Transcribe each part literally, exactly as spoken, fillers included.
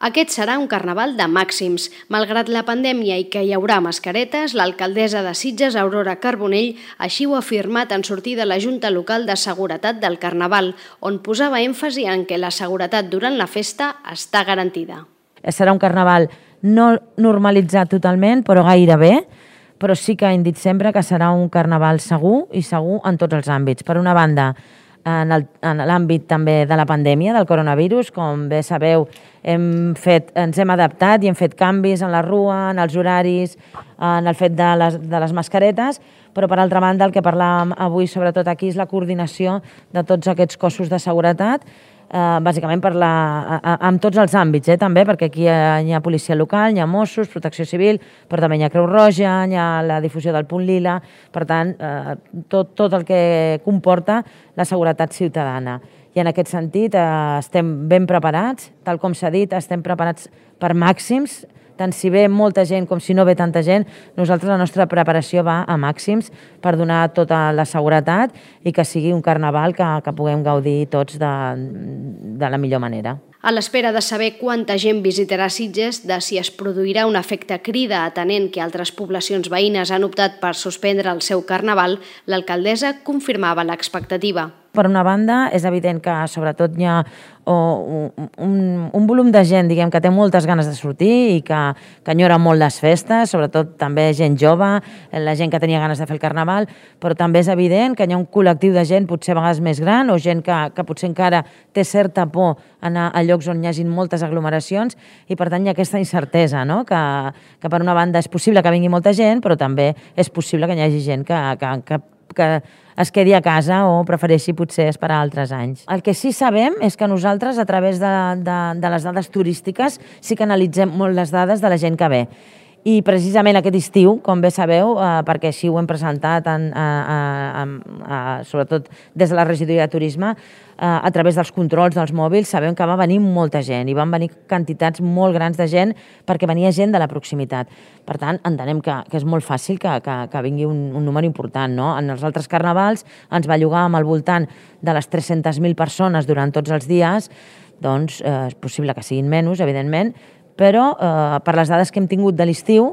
Aquest serà un carnaval de màxims. Malgrat la pandèmia i que hi haurà mascaretes, l'alcaldessa de Sitges, Aurora Carbonell, així ho ha afirmat en sortir de la Junta Local de Seguretat del Carnaval, on posava èmfasi en què la seguretat durant la festa està garantida. Serà un carnaval no normalitzat totalment, però gairebé, però sí que hem dit sempre que serà un carnaval segur i segur en tots els àmbits. Per una banda, en l'àmbit també de la pandèmia, del coronavirus, com bé sabeu, hem fet, ens hem adaptat i hem fet canvis en la rua, en els horaris, en el fet de les, de les mascaretes, però per altra banda el que parlàvem avui sobretot aquí és la coordinació de tots aquests cossos de seguretat, eh, bàsicament per la, amb tots els àmbits, eh, també, perquè aquí hi ha, hi ha policia local, hi ha Mossos, Protecció Civil, però també hi ha Creu Roja, hi ha la difusió del punt lila, per tant, eh, tot, tot el que comporta la seguretat ciutadana. I en aquest sentit eh, estem ben preparats, tal com s'ha dit, estem preparats per màxims, tant si ve molta gent com si no ve tanta gent, nosaltres la nostra preparació va a màxims per donar tota la seguretat i que sigui un carnaval que, que puguem gaudir tots de, de la millor manera. A l'espera de saber quanta gent visitarà Sitges, de si es produirà un efecte crida atenent que altres poblacions veïnes han optat per suspendre el seu carnaval, l'alcaldessa confirmava l'expectativa. Per una banda, és evident que sobretot hi ha un, un, un volum de gent diguem, que té moltes ganes de sortir i que, que enyora molt les festes, sobretot també gent jove, la gent que tenia ganes de fer el carnaval, però també és evident que hi ha un col·lectiu de gent potser a vegades més gran o gent que, que potser encara té certa por anar a llocs on hi hagi moltes aglomeracions i per tant hi ha aquesta incertesa, no? que, que per una banda és possible que vingui molta gent, però també és possible que hi hagi gent que, que, que, que es quedi a casa o prefereixi potser esperar altres anys. El que sí sabem és que nosaltres, a través de, de, de les dades turístiques, sí que analitzem molt les dades de la gent que ve. I precisament aquest estiu, com bé sabeu, eh, perquè així ho hem presentat, en, a, a, a, sobretot des de la regidoria de turisme, eh, a través dels controls dels mòbils, sabem que va venir molta gent i van venir quantitats molt grans de gent perquè venia gent de la proximitat. Per tant, entenem que, que és molt fàcil que, que, que vingui un, un número important. No? En els altres carnavals ens bellugàvem al voltant de les tres-centes mil persones durant tots els dies, doncs eh, és possible que siguin menys, evidentment, però eh, per les dades que hem tingut de l'estiu,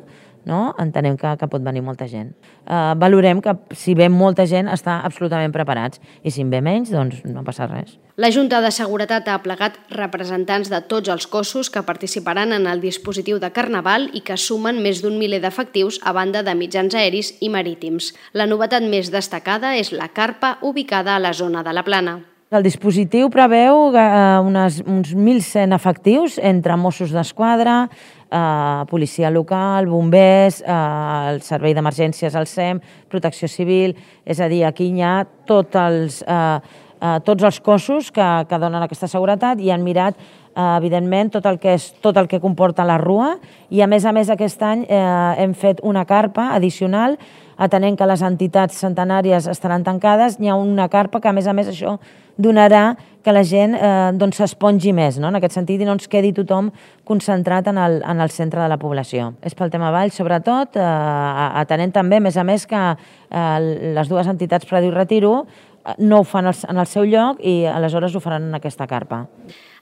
no, entenem que, que pot venir molta gent. Eh, valorem que si ve molta gent està absolutament preparats i si en ve menys, doncs no passa res. La Junta de Seguretat ha plegat representants de tots els cossos que participaran en el dispositiu de Carnaval i que sumen més d'un miler d'efectius a banda de mitjans aeris i marítims. La novetat més destacada és la carpa ubicada a la zona de la Plana. El dispositiu preveu eh, unes, uns mil cent efectius entre Mossos d'Esquadra, eh, policia local, bombers, eh, el servei d'emergències, el S E M, protecció civil, és a dir, aquí hi ha tots els, eh, eh, tots els cossos que, que donen aquesta seguretat i han mirat eh, evidentment tot el, que és, tot el que comporta la rua i a més a més aquest any eh, hem fet una carpa addicional atenent que les entitats centenàries estaran tancades, hi ha una carpa que a més a més això donarà que la gent eh, doncs s'espongi més, no? En aquest sentit, i no ens quedi tothom concentrat en el, en el centre de la població. És pel tema Vall, sobretot, eh, atenent també, a més a més, que eh, les dues entitats Prado i Retiro no ho fan en el seu lloc i aleshores ho faran en aquesta carpa.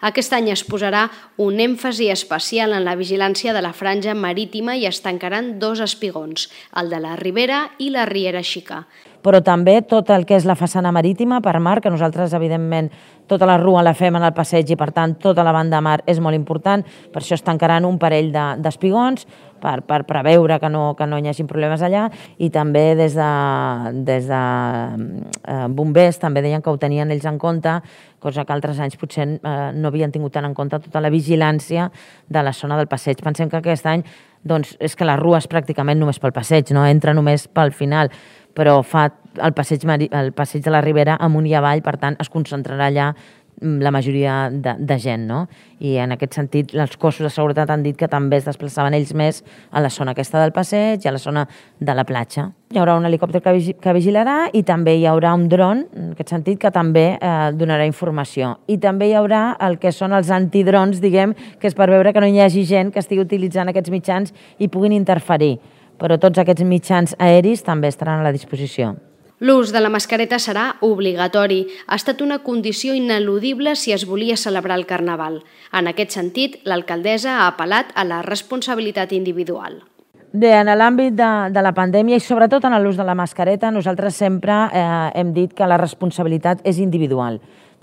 Aquest any es posarà un èmfasi especial en la vigilància de la franja marítima i es tancaran dos espigons, el de la Ribera i la Riera Xica. Però també tot el que és la façana marítima per mar, que nosaltres, evidentment, tota la rua la fem en el passeig i, per tant, tota la banda de mar és molt important. Per això es tancaran un parell d'espigons per, per preveure que no, que no hi hagi problemes allà i també des de, des de eh, bombers també deien que ho tenien ells en compte, cosa que altres anys potser eh, no havien tingut tant en compte tota la vigilància de la zona del passeig. Pensem que aquest any doncs, és que la rua és pràcticament només pel passeig, no entra només pel final, però fa el passeig, el passeig de la Ribera amunt i avall, per tant es concentrarà allà la majoria de, de gent, no? I en aquest sentit els cossos de seguretat han dit que també es desplaçaven ells més a la zona aquesta del passeig i a la zona de la platja. Hi haurà un helicòpter que, vigi que vigilarà i també hi haurà un dron, en aquest sentit, que també eh, donarà informació. I també hi haurà el que són els antidrons, diguem, que és per veure que no hi hagi gent que estigui utilitzant aquests mitjans i puguin interferir. Però tots aquests mitjans aeris també estaran a la disposició. L'ús de la mascareta serà obligatori. Ha estat una condició ineludible si es volia celebrar el Carnaval. En aquest sentit, l'alcaldessa ha apel·lat a la responsabilitat individual. Bé, en l'àmbit de, de la pandèmia i sobretot en l'ús de la mascareta, nosaltres sempre eh, hem dit que la responsabilitat és individual.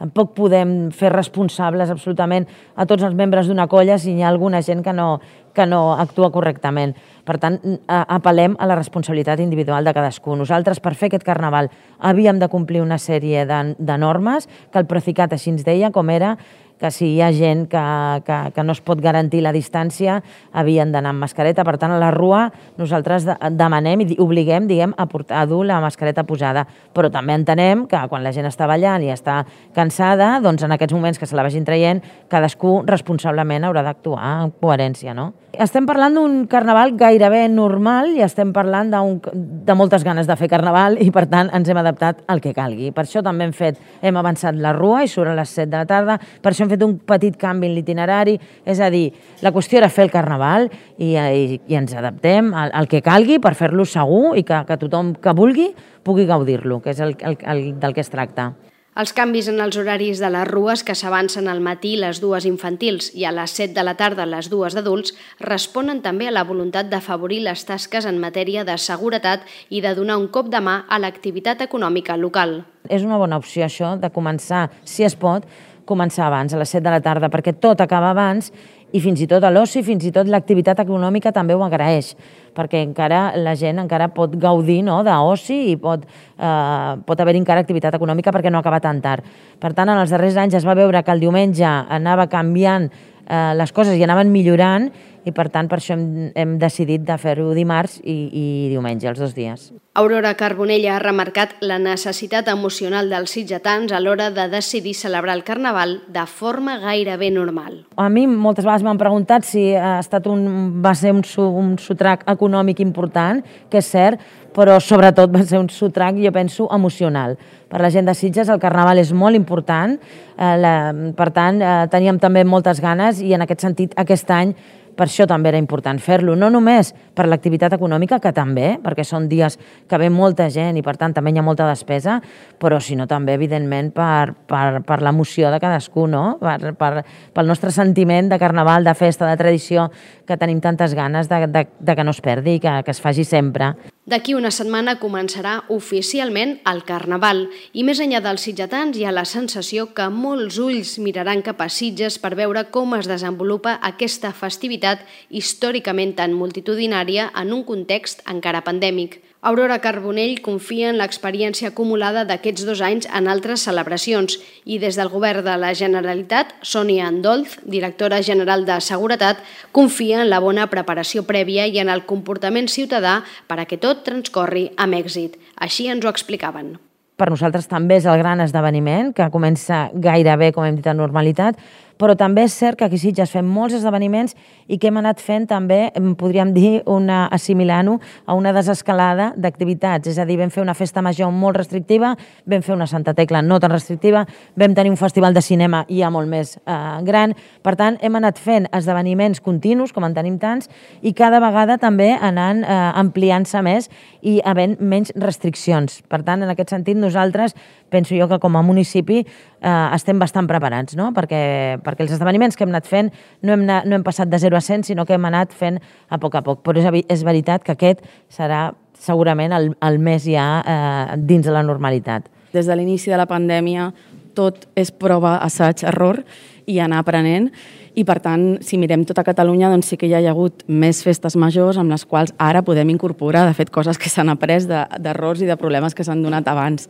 Tampoc podem fer responsables absolutament a tots els membres d'una colla si hi ha alguna gent que no, que no actua correctament. Per tant, apel·lem a la responsabilitat individual de cadascú. Nosaltres, per fer aquest Carnaval, havíem de complir una sèrie de, de normes que el Procicat així ens deia, com era que si hi ha gent que, que, que no es pot garantir la distància, havien d'anar amb mascareta. Per tant, a la rua nosaltres demanem i obliguem, diguem, a, portar, a dur la mascareta posada. Però també entenem que quan la gent està ballant i està cansada, doncs en aquests moments que se la vagin traient, cadascú responsablement haurà d'actuar en coherència, no? Estem parlant d'un Carnaval gairebé normal i estem parlant de moltes ganes de fer Carnaval i, per tant, ens hem adaptat al que calgui. Per això també hem fet, hem avançat la rua i surt a les set de la tarda, per això hem fet un petit canvi en l'itinerari, és a dir, la qüestió era fer el Carnaval i, i, i ens adaptem al, al que calgui per fer-lo segur i que, que tothom que vulgui pugui gaudir-lo, que és el, el, el del que es tracta. Els canvis en els horaris de les rues, que s'avancen al matí les dues infantils i a les set de la tarda les dues d'adults, responen també a la voluntat d'afavorir les tasques en matèria de seguretat i de donar un cop de mà a l'activitat econòmica local. És una bona opció això de començar, si es pot, començar abans, a les set de la tarda, perquè tot acaba abans i fins i tot a l'oci, fins i tot l'activitat econòmica també ho agraeix, perquè encara la gent encara pot gaudir, no?, d'oci i pot, eh, pot haver encara activitat econòmica perquè no acaba tan tard. Per tant, en els darrers anys es va veure que el diumenge anava canviant eh, les coses i anaven millorant i, per tant, per això hem, hem decidit de fer-ho dimarts i, i diumenge, els dos dies. Aurora Carbonell ha remarcat la necessitat emocional dels sitgetans a l'hora de decidir celebrar el Carnaval de forma gairebé normal. A mi moltes vegades m'han preguntat si ha estat un, va ser un, un sotrac econòmic important, que és cert, però sobretot va ser un sotrac, jo penso, emocional. Per la gent de Sitges el Carnaval és molt important, eh, la, per tant, eh, teníem també moltes ganes i en aquest sentit aquest any per això també era important fer-lo, no només per l'activitat econòmica, que també, perquè són dies que ve molta gent i per tant també hi ha molta despesa, però sinó també, evidentment, per, per, per l'emoció de cadascú, no? Per, per, pel nostre sentiment de Carnaval, de festa, de tradició, que tenim tantes ganes de, de, de que no es perdi, que, que es faci sempre. D'aquí una setmana començarà oficialment el Carnaval i més enllà dels sitgetans hi ha la sensació que molts ulls miraran cap a Sitges per veure com es desenvolupa aquesta festivitat històricament tan multitudinària en un context encara pandèmic. Aurora Carbonell confia en l'experiència acumulada d'aquests dos anys en altres celebracions i des del Govern de la Generalitat, Sònia Andolz, directora general de Seguretat, confia en la bona preparació prèvia i en el comportament ciutadà per a que tot transcorri amb èxit. Així ens ho explicaven. Per nosaltres també és el gran esdeveniment, que comença gairebé, com hem dit, a normalitat, però també és cert que aquí a Sitges fem molts esdeveniments i que hem anat fent també, podríem dir, una, assimilant-ho a una desescalada d'activitats. És a dir, vam fer una festa major molt restrictiva, vam fer una Santa Tecla no tan restrictiva, vam tenir un festival de cinema ja molt més eh, gran. Per tant, hem anat fent esdeveniments continus, com en tenim tants, i cada vegada també anant eh, ampliant-se més i havent menys restriccions. Per tant, en aquest sentit, nosaltres, penso jo que com a municipi eh, estem bastant preparats, no? perquè, perquè els esdeveniments que hem anat fent no hem, anat, no hem passat de zero a cent, sinó que hem anat fent a poc a poc. Però és, és veritat que aquest serà segurament el, el més ja eh, dins de la normalitat. Des de l'inici de la pandèmia tot és prova, assaig, error i anar aprenent. I, per tant, si mirem tota Catalunya, doncs sí que hi ha hagut més festes majors amb les quals ara podem incorporar, de fet, coses que s'han après d'errors i de problemes que s'han donat abans.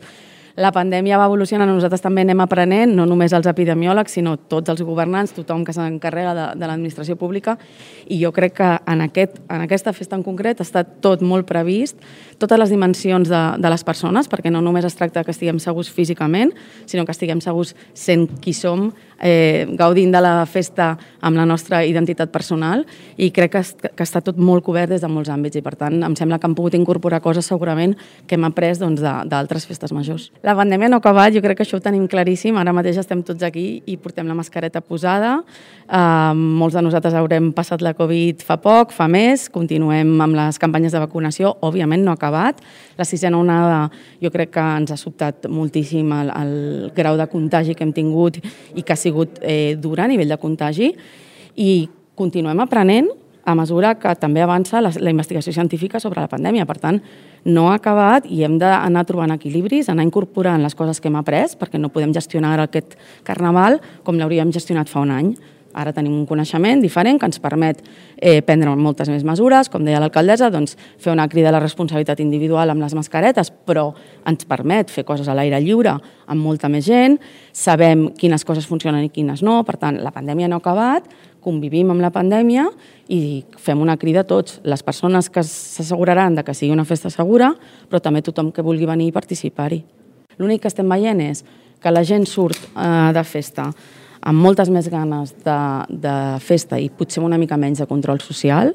La pandèmia va evolucionar, nosaltres també anem aprenent, no només els epidemiòlegs, sinó tots els governants, tothom que s'encarrega de, de l'administració pública, i jo crec que en, aquest, en aquesta festa en concret està tot molt previst, totes les dimensions de, de les persones, perquè no només es tracta que estiguem segurs físicament, sinó que estiguem segurs sent qui som, eh, gaudint de la festa amb la nostra identitat personal, i crec que, que està tot molt cobert des de molts àmbits, i per tant em sembla que hem pogut incorporar coses segurament que hem après doncs, d'altres festes majors. La pandèmia no ha acabat, jo crec que això ho tenim claríssim. Ara mateix estem tots aquí i portem la mascareta posada. Uh, molts de nosaltres haurem passat la Covid fa poc, fa més. Continuem amb les campanyes de vacunació. Òbviament no ha acabat. La sisena onada jo crec que ens ha sobtat moltíssim el, el grau de contagi que hem tingut i que ha sigut eh, dur a nivell de contagi. I continuem aprenent a mesura que també avança la, la investigació científica sobre la pandèmia. Per tant, no ha acabat i hem d'anar trobant equilibris, anar incorporant les coses que hem après, perquè no podem gestionar aquest carnaval com l'hauríem gestionat fa un any. Ara tenim un coneixement diferent que ens permet eh, prendre moltes més mesures, com deia l'alcaldessa, doncs, fer una crida a la responsabilitat individual amb les mascaretes, però ens permet fer coses a l'aire lliure amb molta més gent, sabem quines coses funcionen i quines no, per tant, la pandèmia no ha acabat, convivim amb la pandèmia i fem una crida a tots, les persones que s'asseguraran de que sigui una festa segura, però també tothom que vulgui venir i participar-hi. L'únic que estem veient és que la gent surt eh, de festa amb moltes més ganes de, de festa i potser una mica menys de control social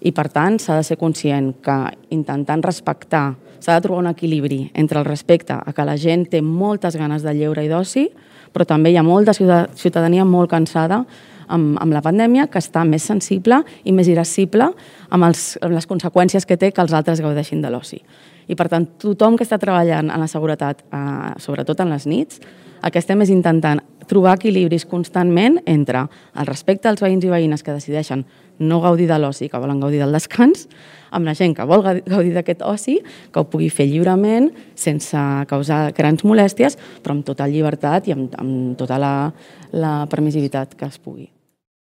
i, per tant, s'ha de ser conscient que intentant respectar, s'ha de trobar un equilibri entre el respecte a que la gent té moltes ganes de lleure i d'oci, però també hi ha molta ciutadania molt cansada amb, amb la pandèmia, que està més sensible i més irascible amb, els, amb les conseqüències que té que els altres gaudeixin de l'oci. I, per tant, tothom que està treballant en la seguretat, eh, sobretot en les nits, el que estem és intentant trobar equilibris constantment entre el respecte als veïns i veïnes que decideixen no gaudir de l'oci, que volen gaudir del descans, amb la gent que vol gaudir d'aquest oci, que ho pugui fer lliurement, sense causar grans molèsties, però amb total llibertat i amb, amb tota la, la permissivitat que es pugui.